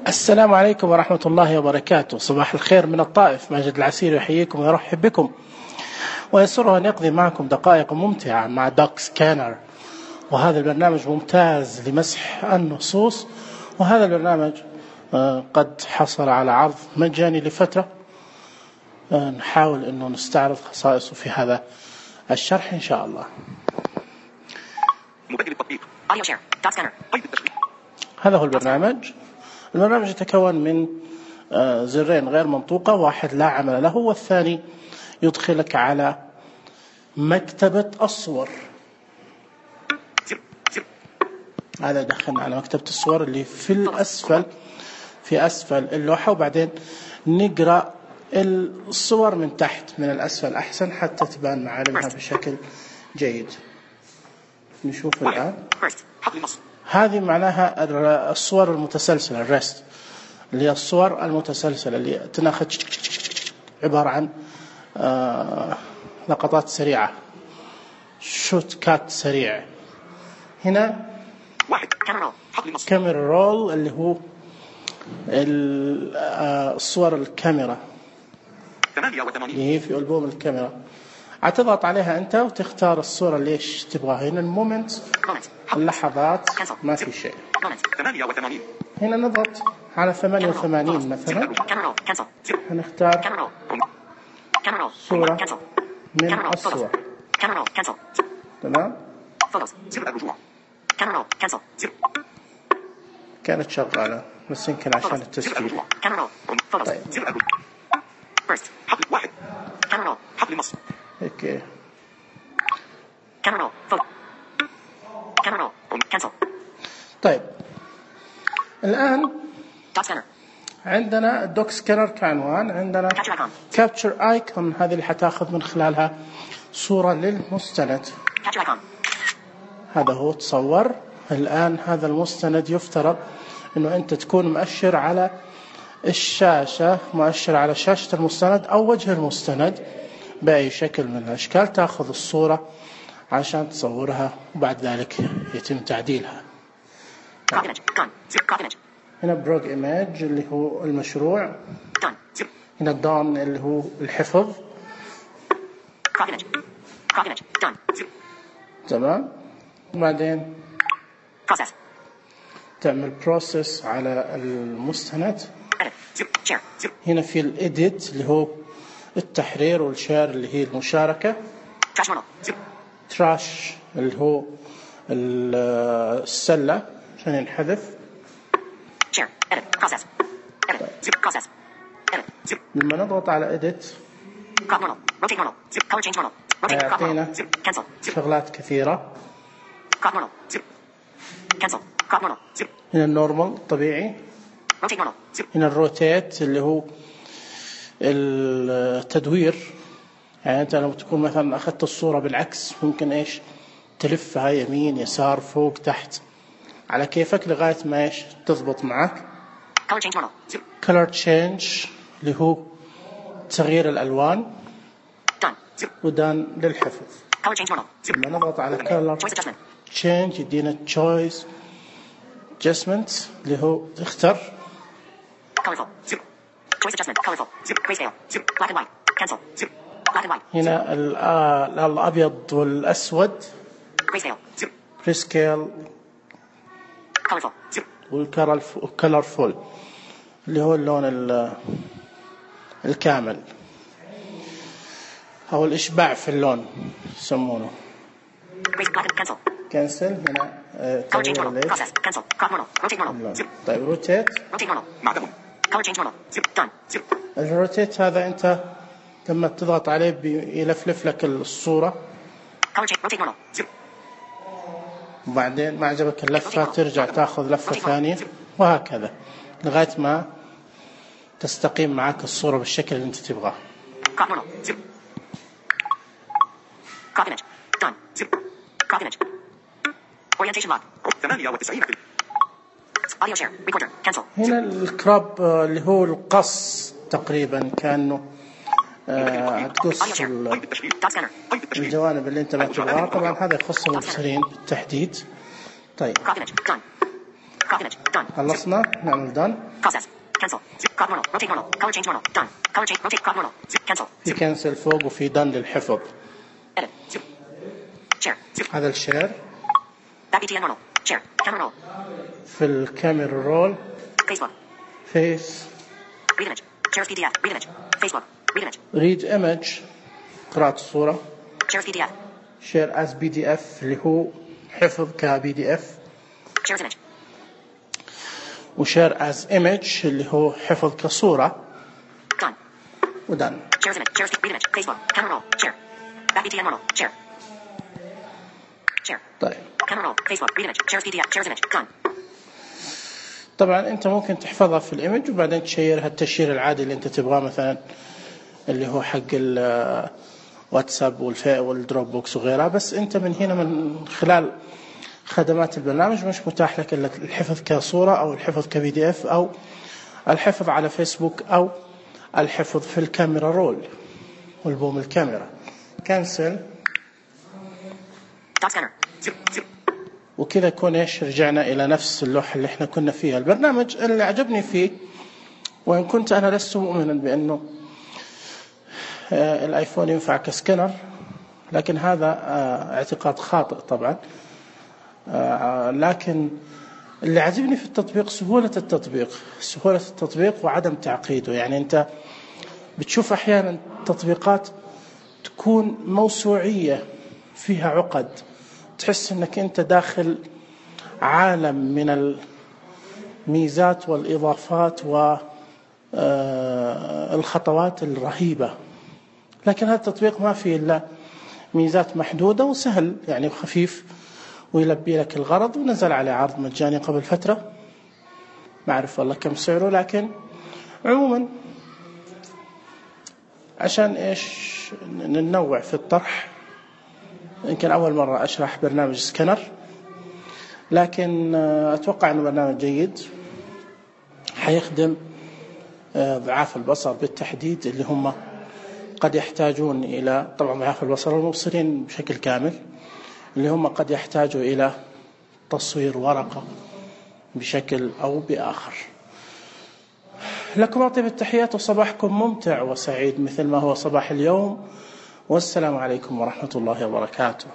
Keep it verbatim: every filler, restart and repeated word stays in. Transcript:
السلام عليكم ورحمة الله وبركاته. صباح الخير من الطائف. ماجد العسيري يحييكم ويرحب بكم ويسره أن يقضي معكم دقائق ممتعة مع دوك سكانر. وهذا البرنامج ممتاز لمسح النصوص، وهذا البرنامج قد حصل على عرض مجاني لفترة. نحاول أنه نستعرض خصائصه في هذا الشرح إن شاء الله. هذا هو البرنامج. البرنامج يتكون من زرين غير منطوقة، واحد لا عمل له، والثاني يدخلك على مكتبة الصور. هذا يدخلنا على مكتبة الصور اللي في الأسفل في أسفل اللوحة، وبعدين نقرأ الصور من تحت من الأسفل أحسن حتى تبان معالمها بشكل جيد. نشوف الآن. هذه معناها الصور المتسلسلة، الريست، اللي هي الصور المتسلسلة اللي تناخذ عبارة عن آه لقطات سريعة، شوت كات سريع. هنا كاميرا رول اللي هو الصور الكاميرا اللي هي في ألبوم الكاميرا. هتضغط عليها أنت وتختار الصورة اللي إيش تبغاها. هنا المومنت، اللحظات، ما في شيء. هنا نضغط على ثمانية وثمانين مثلا، هنختار صورة من الصور. تمام، كانت شغالة بس يمكن عشان التسجيل. طيب. اوكي. طيب الآن عندنا الدوك سكانر كعنوان، عندنا كابتشر ايكون، هذه اللي حتاخذ من خلالها صورة للمستند. هذا هو تصور. الآن هذا المستند يفترض انه انت تكون مؤشر على الشاشة، مؤشر على شاشة المستند او وجه المستند بأي شكل من الأشكال. تأخذ الصورة عشان تصورها وبعد ذلك يتم تعديلها. هنا بروج إيماج اللي هو المشروع. هنا دون اللي هو الحفظ. تمام. وبعدين تعمل بروسيس على المستند. هنا في الإديت اللي هو التحرير، والشير اللي هي المشاركة. تراش اللي هو السلة عشان ينحذف. لما نضغط على edit يعطينا شغلات كثيرة. هنا النورمال طبيعي. هنا الروتيت اللي هو التدوير، يعني أنت لما تكون مثلا أخذت الصورة بالعكس ممكن إيش تلفها يمين يسار فوق تحت على كيفك لغاية ما إيش تضبط معك. color change اللي هو تغيير الألوان. ودان للحفظ. لما نضغط على color change يدينا choice adjustment اللي هو تختار. هنا الأبيض والأسود prescale والcolorful اللي هو اللون الكامل أو الإشباع في اللون يسمونه. كنسل. هنا تغيير الليل. طيب روتيت. الروتيت هذا أنت لما تضغط عليه يلفلف لك الصورة، وبعدين ما عجبك اللفة ترجع تأخذ لفة ثانية، وهكذا لغاية ما تستقيم معك الصورة بالشكل اللي أنت تبغاه. هنا الكراب اللي هو القص تقريبا، كأنه آه تقص الجوانب اللي انت ما تبغاها. طبعا هذا يخص المبصرين بالتحديد. طيب خلصنا، نعمل دان. Process. Cancel. Crop normal. Rotate normal. Color change normal. Done. Color change. Rotate. Crop normal. Cancel. في كنسل فوق وفي done للحفظ. Edit. Zoom. Share. Zoom. هذا الشير. Back B T N normal. Share. Camera roll. في الكاميرا رول. Facebook. فيس. Read image. Shares P D F. Read image. Facebook. Read image. read image قراءة الصورة. Shares P D F. share as بي دي إف اللي هو حفظ ك بي دي إف. Shares image. وshare as image اللي هو حفظ كصورة. Done. ودن. Shares image. Shares read image. Facebook. Camera roll. Share. Back B T N normal. Share. Share. طيب. Camera roll. Facebook. Read image. Shares P D F. Shares image. Done. طبعا انت ممكن تحفظها في الايمج وبعدين تشيرها التشيير العادي اللي انت تبغاه، مثلا اللي هو حق الواتساب والفي والدروب بوكس وغيرها. بس انت من هنا من خلال خدمات البرنامج مش متاح لك الا الحفظ كصورة او الحفظ كبي دي اف او الحفظ على فيسبوك او الحفظ في الكاميرا رول والبوم الكاميرا. كنسل. وكذا يكون ايش رجعنا الى نفس اللوحة اللي احنا كنا فيها. البرنامج اللي عجبني فيه، وان كنت انا لست مؤمنا بانه آه الايفون ينفع كسكنر، لكن هذا آه اعتقاد خاطئ طبعا. آه لكن اللي عجبني في التطبيق سهولة التطبيق سهولة التطبيق وعدم تعقيده. يعني انت بتشوف احيانا تطبيقات تكون موسوعية فيها عقد، تحس انك انت داخل عالم من الميزات والاضافات والخطوات الرهيبة. لكن هذا التطبيق ما فيه الا ميزات محدودة وسهل يعني وخفيف ويلبي لك الغرض، ونزل عليه عرض مجاني قبل فترة، ما أعرف والله كم سعره، لكن عموما عشان إيش ننوع في الطرح. يمكن أول مرة أشرح برنامج سكنر، لكن أتوقع أنه برنامج جيد حيخدم ضعاف البصر بالتحديد، اللي هم قد يحتاجون إلى، طبعا ضعاف البصر والمبصرين بشكل كامل، اللي هم قد يحتاجوا إلى تصوير ورقة بشكل أو بآخر. لكم أطيب التحيات وصباحكم ممتع وسعيد مثل ما هو صباح اليوم، والسلام عليكم ورحمة الله وبركاته.